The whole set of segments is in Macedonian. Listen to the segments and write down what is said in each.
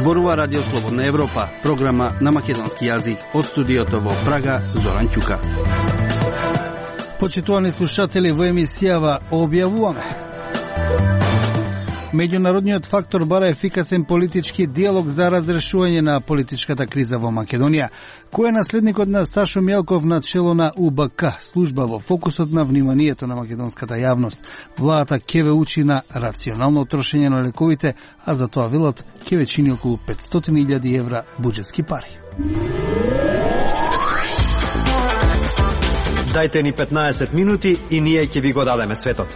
Зборува Радио Слободна Европа, програма на македонски јазик од студиото во Прага, Зоран Ќука. Почитувани слушатели, во емисијава објавуваме: меѓународниот фактор бара ефикасен политички диалог за разрешување на политичката криза во Македонија. Кој е наследникот на Сашо Мјалков на чело на УБК, служба во фокусот на вниманието на македонската јавност? Владата ќе ве учи на рационално трошење на лековите, а за тоа велат ќе ве чини околу 500.000 евра буџетски пари. Дајте ни 15 минути и ние ќе ви го дадеме светот.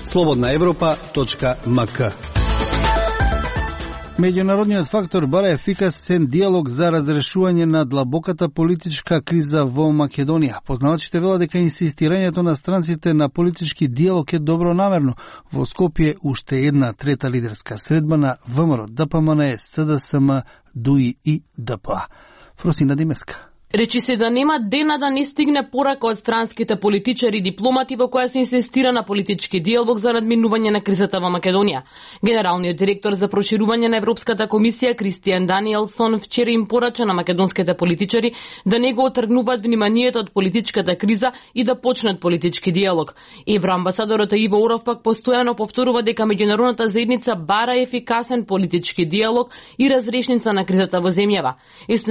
slobodnaevropa.mk. Меѓународниот фактор бара ефикасен диалог за разрешување на длабоката политичка криза во Македонија. Познавачите велат дека инсистирањето на странците на политички диалог е добронамерно. Во Скопје уште една трета лидерска средба на ВМРО, ДПМН, СДСМ, ДУИ и ДПА. Фросина Димеска. Речи се да нема дена да не стигне порака од странските политичари и дипломати во која се инсистира на политички диалог за надминување на кризата во Македонија. Генералниот директор за проширување на Европската комисија Кристијан Даниелсон вчера им порача на македонските политичари да не го отргнуваат вниманието од политичката криза и да почнат политички диалог. Евроамбасадорот Иво Уров пак постојано повторува дека меѓународната заедница бара ефикасен политички диалог и разрешница на кризата во земјава.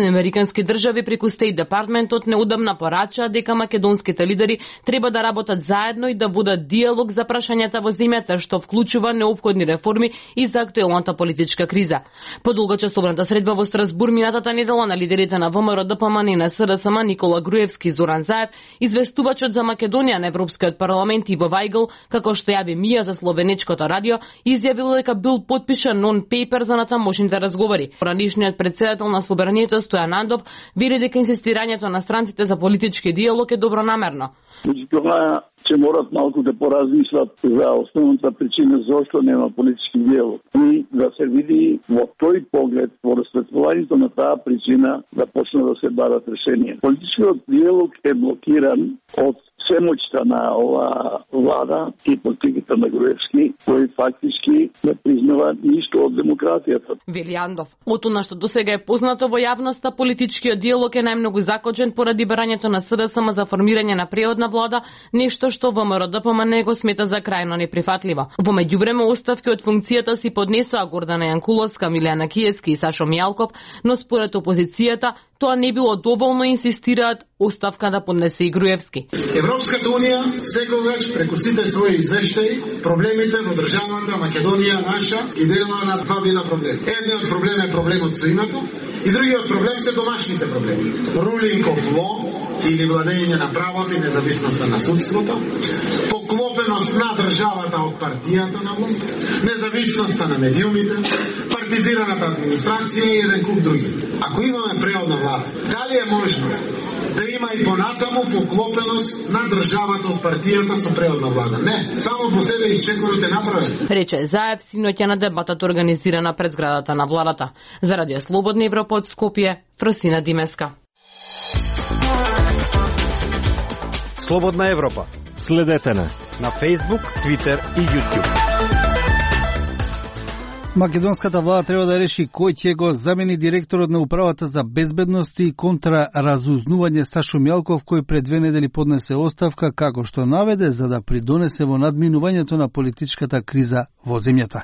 Американски држави преку Департментот неудамна порача дека македонските лидери треба да работат заедно и да водат диалог за прашањата во земјата, што вклучува неопходни реформи и за актуелната политичка криза. По долгочасовната средба во Страсбур минатата недела на лидерите на ВМРО, ДПМН и на СДСМ Никола Груевски и Зоран Заев, известувачот за Македонија на Европскиот парламент Иво Вајгл, како што јави Мија за словенечкото радио, изјавил дека бил потпишан нон-пейпер за натамошните разговори. Поранишниот председател на Собранието Стојан Андов вели дека инсистирањето на странците за политички диалог е добронамерно. Меѓутоа, че морат малку да поразмислат за основната причина зашто нема политички диалог и да се види во тој поглед, во расветлувањето на таа причина, да почне да се барат решенија. Политичкиот диалог е блокиран од семоќта на ова влада и политиката на Груевски, кои фактички не признава ништо од демократијата. Вели Андов, од она што досега е познато во јавноста, политичкиот диалог е најмногу закочен поради барањето на СДСМ за формирање на преодна влада, нешто што ВМРО ДПМН го смета за крајно неприфатливо. Во меѓувреме оставки од функцијата си поднесоа Гордана Јанкуловска, Милјана Киевски и Сашо Мјалков, но според опозицијата тоа не било доволно и инсистираат оставка да поднесе и Груевски. Европската унија секогаш преку сите своји извештаи проблемите во државата Македонија наша ги делува на два вида проблеми. Едниот проблем е проблемот со името и другиот проблем се домашните проблеми. Ruling of law или владење на правото и независноста на судството, поклопеност на државата од партијата на власт, независноста на медиумите, партизираната администрација и еден куп други. Ако имаме преодна влада, дали е можно да има и понатаму поклопеност на државата од партијата со преодна влада? Не, само по себе исчекорот е направен. Рече Заев синоќа на дебатата организирана пред зградата на владата. За Радио Слободна Европа од Скопје, Фросина Димеска. Слободна Европа. Следете на Facebook, Twitter и YouTube. Македонската влада треба да реши кој ќе го замени директорот на управата за безбедност и контраразузнување Сашо Мјалков, кој пред 2 недели поднесе оставка, како што наведе, за да придонесе во надминувањето на политичката криза во земјата.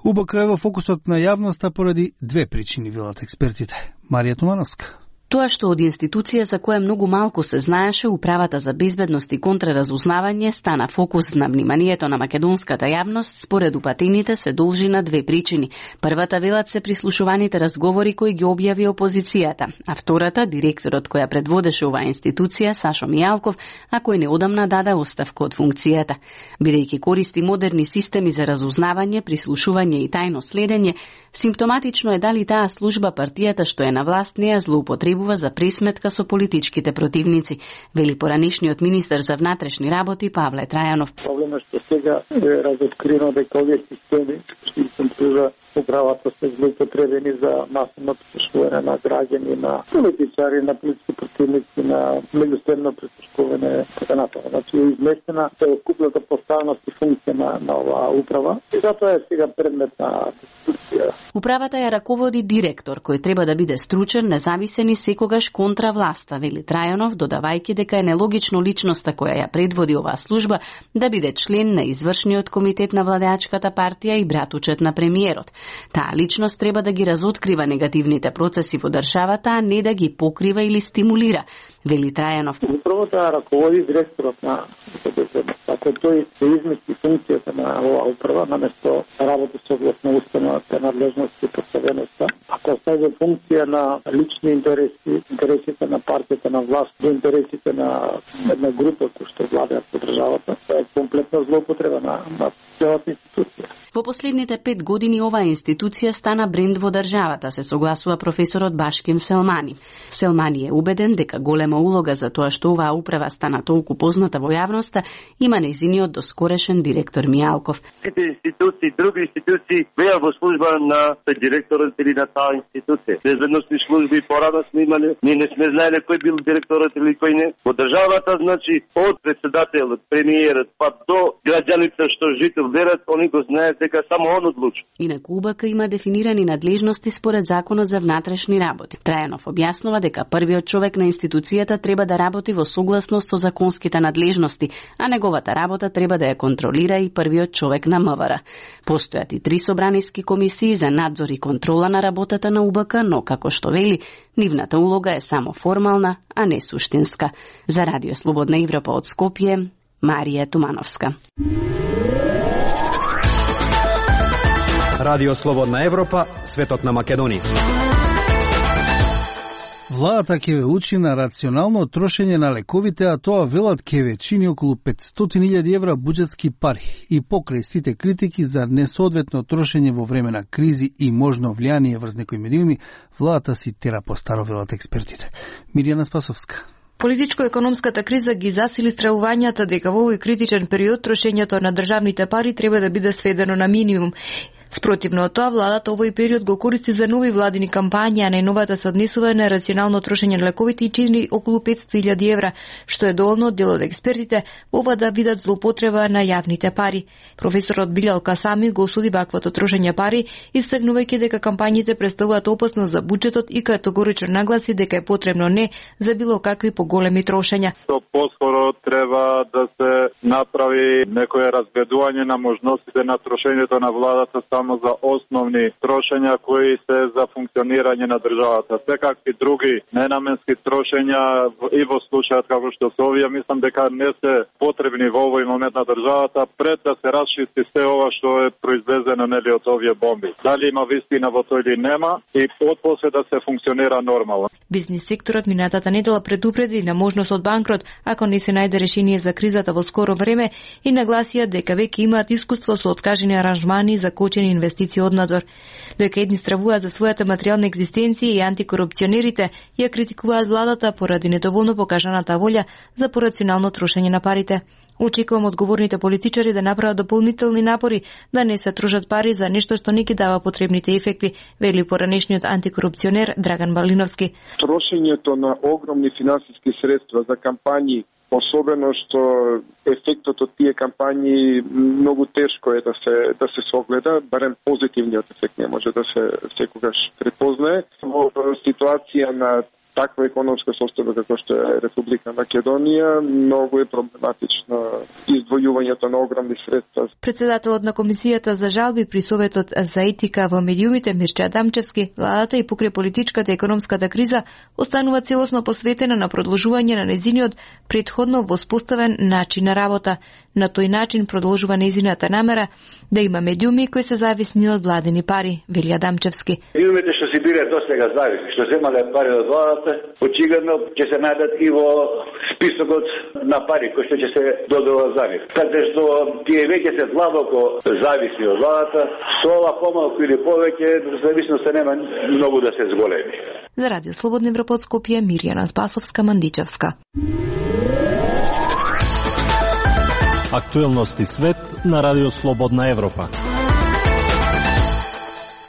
УБК е во фокусот на јавноста поради 2 причини, велат експертите. Марија Тумановска. Тоа што од институција за која многу малку се знаеше, управата за безбедност и контраразузнавање стана фокус на вниманието на македонската јавност, според упатените се должи на 2 причини. Првата велат се прислушуваните разговори кои ги објави опозицијата, а втората директорот која предводеше оваа институција Сашо Мјалков, а кој неодамна даде оставка од функцијата. Бидејќи користи модерни системи за разузнавање, прислушување и тајно следење, симптоматично е дали таа служба партијата што е на власт не ја злоупотребува употребува за присметка со политичките противници, вели поранишниот министер за внатрешни работи Павле Трајанов. Проблемот што сега е разоткрино дека овие системи што се пружа управата се злоупотребени за масовно присушкување на граѓани, на политичари, на политички противници, на меѓусебно присушкување така натаму. Значи изместена целокупната поставеност и функција на оваа управа и затоа е сега предмет на дискусија. Управата ја раководи директор кој треба да биде стручен, независен и секогаш контра власта, вели Трајанов, додавајќи дека е нелогично личноста која ја предводи оваа служба да биде член на извршниот комитет на владеачката партија и братучет на премиерот. Таа личност треба да ги разоткрива негативните процеси во државата, а не да ги покрива или стимулира, вели Трајанов. Управата раководи директорот на безбедност. Ако тој се измести функцијата на оваа управа, наместо работи согласно установата надлежност и поставеността, ако остави функција на лични интереси, интересите на партијата на власт, до интересите на една група која што владеат по државата, тоа е комплетна злоупотреба на целата институција. Во последните 5 години оваа институција стана бренд во државата, се согласува професорот Башким Селмани. Селмани е убеден дека голема улога за тоа што оваа управа стана толку позната во јавноста има нејзиниот доскорешен директор Мијалков. Сите институции, други институции беа во служба на директорот или на таа институција. Безбедносни служби порано сме имали, ние не сме знаеле кој бил директорот или кој не. Во државата, значи, од председателот, премиерот, па до граѓаните што жител верат, они го знаат дека само он одлучува. Инаку УБК има дефинирани надлежности според Законот за внатрешни работи. Трајанов објаснува дека првиот човек на институцијата треба да работи во согласност со законските надлежности, а неговата работа треба да ја контролира и првиот човек на МВР. Постојат и 3 собраниски комисии за надзор и контрола на работата на УБК, но како што вели, нивната улога е само формална, а не суштинска. За Радио Слободна Европа од Скопје, Марија Тумановска. Радио Слободна Европа, светот на Македонија. Владата ќе ве учи на рационално трошење на лековите, а тоа велат ќе ве чини околу 500.000 евра буџетски пари. И покрај сите критики за несоодветно трошење во време на кризи и можно влијание врз некои медиуми, владата си тера по старо, велат експертите. Миријана Спасовска. Политичко-економската криза ги засили стравувањата дека во овој критичен период трошењето на државните пари треба да биде сведено на минимум. Спротивно од тоа, владата овој период го користи за нови владини кампањи, а најновата се однесува на рационално трошење на лековите и чини околу 500.000 евра, што е доволно дел од експертите ова да видат злоупотреба на јавните пари. Професорот Билјал Касами го осуди ваквото трошење пари, истакнувајќи дека кампањите представуваат опасност за буџетот и категорично нагласи дека е потребно не за било какви поголеми трошења. Што поскоро треба да се направи некое разгледување на можностите на трошењето на владата само за основни трошења кои се за функционирање на државата. Секакви други ненаменски трошења и во случајот како што се овие, мислам дека не се потребни во овој момент на државата пред да се расчисти се ова што е произлезено нели од овие бомби. Дали има вистина во тоа или нема и отпосле да се функционира нормално. Бизнис секторот минатата недела предупреди на можност од банкрот ако не се најде решение за кризата во скоро време и нагласија дека веќе имаат искуство со откажени аранжмани за кочени инвестиции однадвор. Дека едни стравуваат за својата материјална екзистенција и антикорупционерите ја критикуваат владата поради недоволно покажаната волја за порационално трошење на парите. Очекувам одговорните политичари да направат дополнителни напори да не се трошат пари за нешто што не ги дава потребните ефекти, вели поранешниот антикорупционер Драган Балиновски. Трошењето на огромни финансиски средства за кампањи, особено што ефектот од тие кампањи многу тешко е да се согледа, барем позитивниот ефект не може да се секогаш препознае. Во ситуација на таква економска состојба како што е Република Македонија, многу е проблематично издвојувањето на огромни средства. Председателот на Комисијата за жалби при Советот за етика во медиумите Мирча Адамчевски, владата и покрај политичката и економската криза останува целосно посветена на продолжување на нејзиниот претходно воспоставен начин на работа. На тој начин продолжува нејзината намера да има медиуми кои се зависни од владени пари, вели Адамчевски. Медиумите што си биле досега зависни, што земале пари од владата, државата, очигледно ќе се најдат и во списокот на пари кои што ќе се додела за нив. Така што тие веќе се длабоко зависи од владата, со ова помалку или повеќе, зависноста нема многу да се зголеми. За Радио Слободна Европа од Скопје, Мирјана Спасовска-Мандичевска. Актуелности свет на Радио Слободна Европа.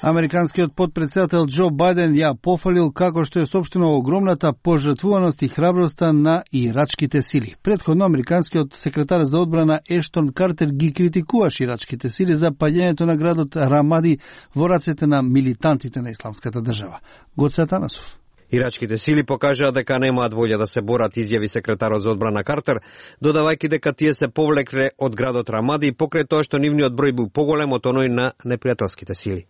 Американскиот потпредседател Џо Бајден ја пофалил како што е сопштено огромната пожртвуваност и храброста на ирачките сили. Претходно американскиот секретар за одбрана Ештон Картер ги критикуваше ирачките сили за паѓањето на градот Рамади во рацете на милитантите на Исламската држава. Гоце Атанасов. Ирачките сили покажаа дека немаат волја да се борат, изјави секретарот за одбрана Картер, додавајќи дека тие се повлекле од градот Рамади покрај тоа што нивниот број бил поголем од оној на непријателските сили.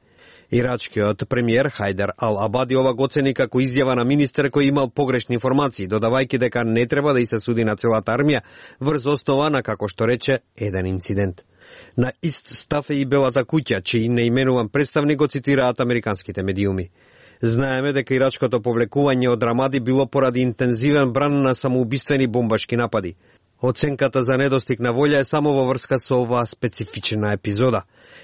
Ирачкиот премиер Хајдар Ал-Абади ова го оцени како изјава на министер кој имал погрешни информации, додавајќи дека не треба да и се суди на целата армија врз основа на, како што рече, еден инцидент. На ист став е и Белата куќа, чиј неименуван представник го цитираат американските медиуми. Знаеме дека ирачкото повлекување од Рамади било поради интензивен бран на самоубиствени бомбашки напади. Оценката за недостиг на волја е само во врска со оваа специфична епизода.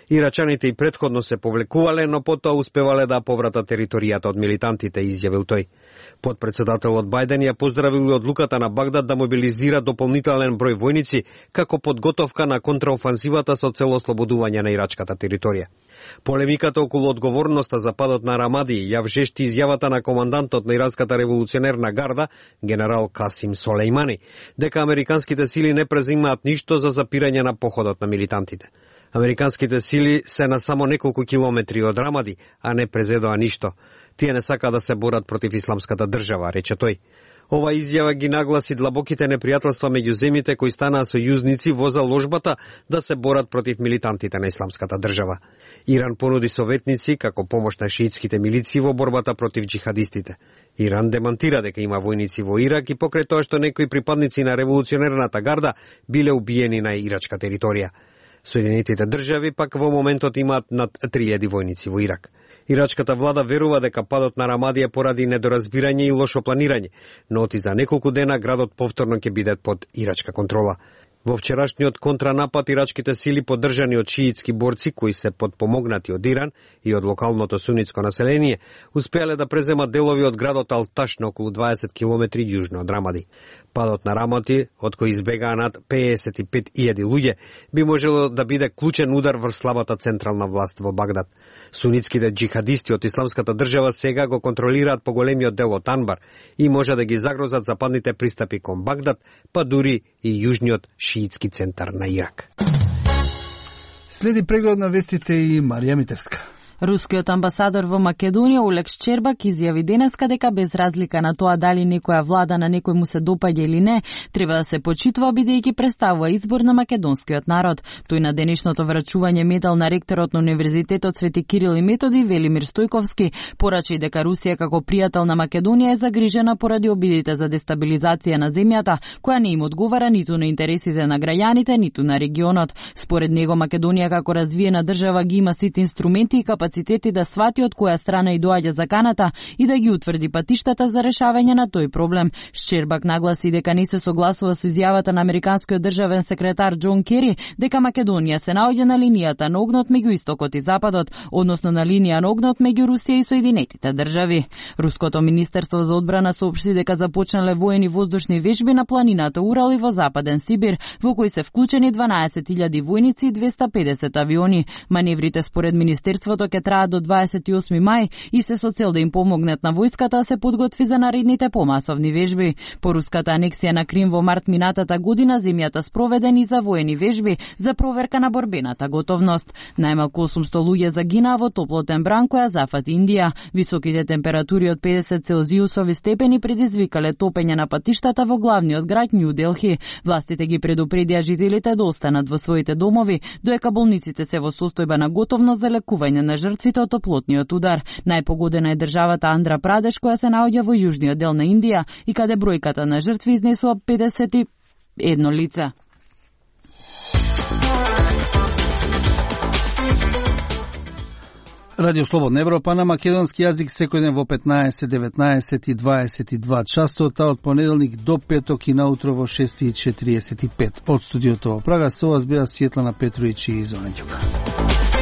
Ирачаните и претходно се повлекувале, но потоа успевале да повратат територијата од милитантите, изјавил тој. Потпредседателот Бајден ја поздравил одлуката на Багдад да мобилизира дополнителен број војници како подготовка на контраофанзивата со цел ослободување на ирачката територија. Полемиката околу одговорноста за падот на Рамади ја вжешти изјавата на командантот на Иранската револуционерна гарда, генерал Касим Солејмани, дека американските сили не презимаат ништо за запирање на походот на милитантите. Американските сили се на само неколку километри од Рамади, а не презедоа ништо. Тие не сака да се борат против Исламската држава, рече тој. Ова изјава ги нагласи длабоките непријателства меѓу земјите кои станаа сојузници во заложбата да се борат против милитантите на Исламската држава. Иран понуди советници како помош на шиитските милиции во борбата против џихадистите. Иран демантира дека има војници во Ирак и покрај тоа што некои припадници на револуционерната гарда биле убиени на ирачка територија. Соединетите држави пак во моментот имаат над 3000 војници во Ирак. Ирачката влада верува дека падот на Рамади е поради недоразбирање и лошо планирање, но оти за неколку дена градот повторно ќе биде под ирачка контрола. Во вчерашниот контранапад ирачките сили поддржани од шиитски борци кои се подпомогнати од Иран и од локалното сунитско население, успеале да преземат делови од градот Алташ на околу 20 километри јужно од Рамади. Падот на Рамади, од кој избегаа над 55.000 луѓе, би можело да биде клучен удар врз слабата централна власт во Багдад. Сунитските џихадисти од Исламската држава сега го контролираат поголемиот дел од Анбар и може да ги загрозат западните пристапи кон Багдад, па дури и јужниот шиитски центар на Ирак. Следи преглед на вестите и Марија Митевска. Рускиот амбасадор во Македонија Олег Шчербак изјави денеска дека без разлика на тоа дали некоја влада на некој му се допаѓа или не, треба да се почитува бидејќи представува избор на македонскиот народ. Тој на денешното врачување медал на ректорот на Универзитетот Свети Кирил и Методи Велимир Стојковски порача и дека Русија како пријател на Македонија е загрижена поради обидите за дестабилизација на земјата, која не им одговара ниту на интересите на граѓаните, ниту на регионот. Според него Македонија како развиена држава ги има сите инструменти и капацитети да свати од која страна и доаѓа заканата и да ги утврди патиштата за решавање на тој проблем. Шчербак нагласи дека не се согласува со изјавата на американскиот државен секретар Џон Кери дека Македонија се наоѓа на линијата на огнот меѓу истокот и западот, односно на линија на огнот меѓу Русија и Соединетите држави. Руското министерство за одбрана соопшти дека започнале воени воздушни вежби на планината Урал и во Западен Сибир, во кои се вклучени 12.000 војници и 250 авиони. Маневрите според министерството ќе траат до 28 мај и се со цел да им помогнат на војската да се подготви за наредните помасовни вежби. По руската анексија на Крим во март минатата година земјата спроведени за воени вежби за проверка на борбената готовност. Најмалку 800 луѓе загинаа во топлотен бран која зафати Индија. Високите температури од 50 целзиусови степени предизвикале топење на патиштата во главниот град Њу Делхи. Властите ги предупредија жителите да останат во своите домови, доека болниците се во состојба на готовност за лекување на жртвите од топлотниот удар. Најпогодена е државата Андра Прадеш, која се наоѓа во јужниот дел на Индија и каде бројката на жртви изнесува 51 лица. Радио Слободна Европа на македонски јазик секојден во 15, 19 и 22 часот, од понеделник до петок и наутро во 6:45. Од студиото во Прага со вас беа Светлана Петровиќ и Зона Ѓука.